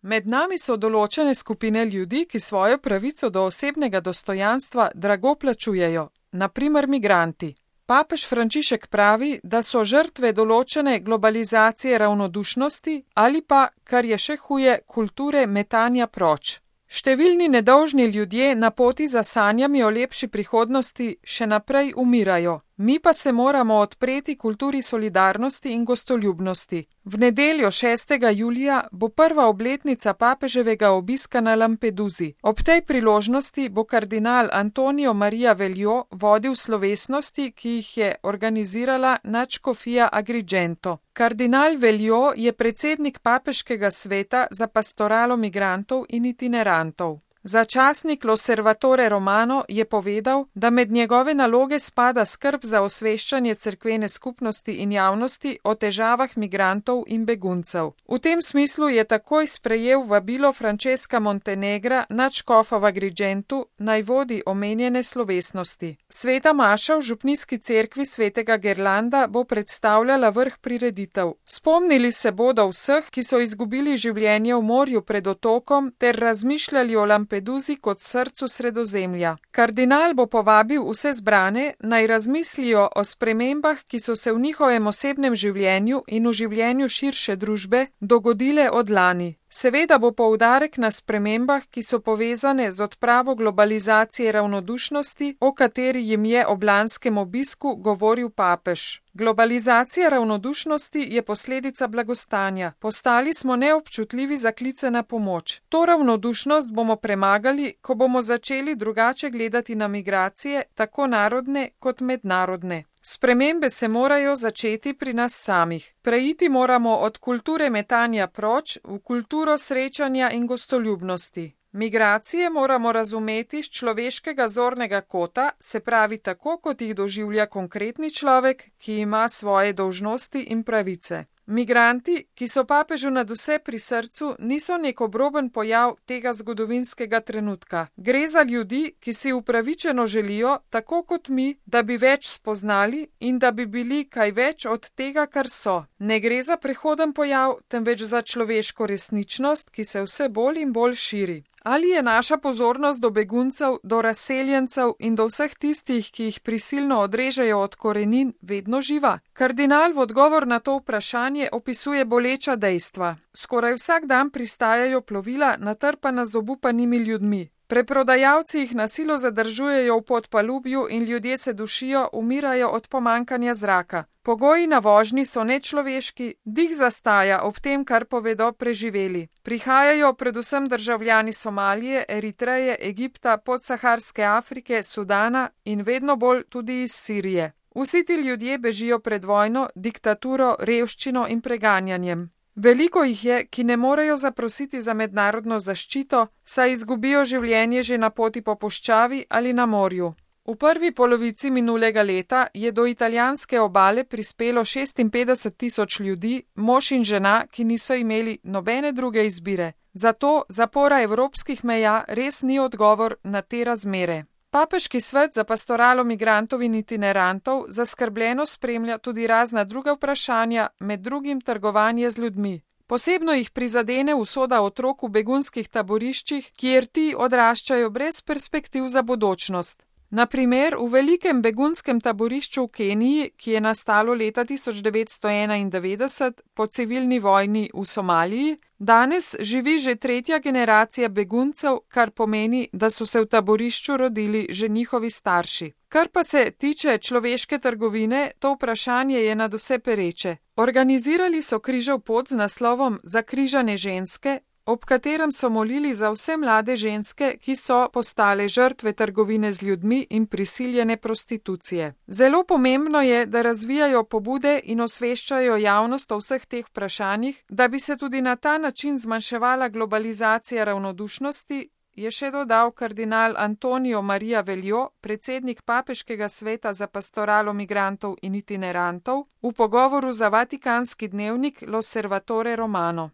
Med nami so določene skupine ljudi, ki svojo pravico do osebnega dostojanstva drago plačujejo, na primer migranti. Papež Frančišek pravi, da so žrtve določene globalizacije ravnodušnosti ali pa, kar je še huje, kulture metanja proč. Številni nedolžni ljudje na poti za sanjami o lepši prihodnosti še naprej umirajo, mi pa se moramo odpreti kulturi solidarnosti in gostoljubnosti. V nedeljo 6. julija bo prva obletnica papeževega obiska na Lampeduzi. Ob tej priložnosti bo kardinal Antonio Maria Velio vodil slovesnosti, ki jih je organizirala nadškofija Agrigento. Kardinal Velio je predsednik papeškega sveta za pastoralo migrantov in itinerantov. Za časnik L'Osservatore Romano je povedal, da med njegove naloge spada skrb za osveščanje cerkvene skupnosti in javnosti o težavah migrantov in beguncev. V tem smislu je takoj sprejel vabilo Francesca Montenegra, nadškofa v Agrigentu, naj vodi omenjene slovesnosti. Sveta maša v župnijski cerkvi svetega Gerlanda bo predstavljala vrh prireditev. Spomnili se bodo vseh, ki so izgubili življenje v morju pred otokom, ter razmišljali o Lampeduzi kot srcu Sredozemlja. Kardinal bo povabil vse zbrane, naj razmislijo o spremembah, ki so se v njihovem osebnem življenju in v življenju širše družbe dogodile od lani. Seveda bo poudarek na spremembah, ki so povezane z odpravo globalizacije ravnodušnosti, o kateri jim je ob lanskem obisku govoril papež. Globalizacija ravnodušnosti je posledica blagostanja. Postali smo neobčutljivi za klice na pomoč. To ravnodušnost bomo premagali, ko bomo začeli drugače gledati na migracije, tako narodne kot mednarodne. Spremembe se morajo začeti pri nas samih. Preiti moramo od kulture metanja proč v kulturo srečanja in gostoljubnosti. Migracije moramo razumeti z človeškega zornega kota, se pravi tako, kot jih doživlja konkretni človek, ki ima svoje dolžnosti in pravice. Migranti, ki so papežu nadvse pri srcu, niso nek obroben pojav tega zgodovinskega trenutka. Gre za ljudi, ki si upravičeno želijo, tako kot mi, da bi več spoznali in da bi bili kaj več od tega, kar so. Ne gre za prehoden pojav, temveč za človeško resničnost, ki se vse bolj in bolj širi. Ali je naša pozornost do beguncev, do razseljencev in do vseh tistih, ki jih prisilno odrežejo od korenin, vedno živa? Kardinal v odgovor na to vprašanje opisuje boleča dejstva. Skoraj vsak dan pristajajo plovila, natrpana z obupanimi ljudmi. Preprodajalci jih na silo zadržujejo v podpalubju in ljudje se dušijo, umirajo od pomankanja zraka. Pogoji na vožnji so nečloveški, dih zastaja ob tem, kar povedo preživeli. Prihajajo predvsem državljani Somalije, Eritreje, Egipta, podsaharske Afrike, Sudana in vedno bolj tudi iz Sirije. Vsi ti ljudje bežijo pred vojno, diktaturo, revščino in preganjanjem. Veliko jih je, ki ne morejo zaprositi za mednarodno zaščito, saj izgubijo življenje že na poti po puščavi ali na morju. V prvi polovici minulega leta je do italijanske obale prispelo 56.000 ljudi, mož in žena, ki niso imeli nobene druge izbire. Zato zapora evropskih meja res ni odgovor na te razmere. Papeški svet za pastoralo migrantov in itinerantov zaskrbljeno spremlja tudi razna druga vprašanja, med drugim trgovanje z ljudmi. Posebno jih prizadene usoda otrok v begunskih taboriščih, kjer ti odraščajo brez perspektiv za bodočnost. Na primer, v velikem begunskem taborišču v Keniji, ki je nastalo leta 1991 po civilni vojni v Somaliji, danes živi že tretja generacija beguncev, kar pomeni, da so se v taborišču rodili že njihovi starši. Kar pa se tiče človeške trgovine, to vprašanje je nadvse pereče. Organizirali so križev pot z naslovom Zakrižane ženske, ob katerem so molili za vse mlade ženske, ki so postale žrtve trgovine z ljudmi in prisiljene prostitucije. Zelo pomembno je, da razvijajo pobude in osveščajo javnost o vseh teh vprašanjih, da bi se tudi na ta način zmanjševala globalizacija ravnodušnosti, je še dodal kardinal Antonio Maria Velio, predsednik papeškega sveta za pastoralo migrantov in itinerantov, v pogovoru za vatikanski dnevnik L'Osservatore Romano.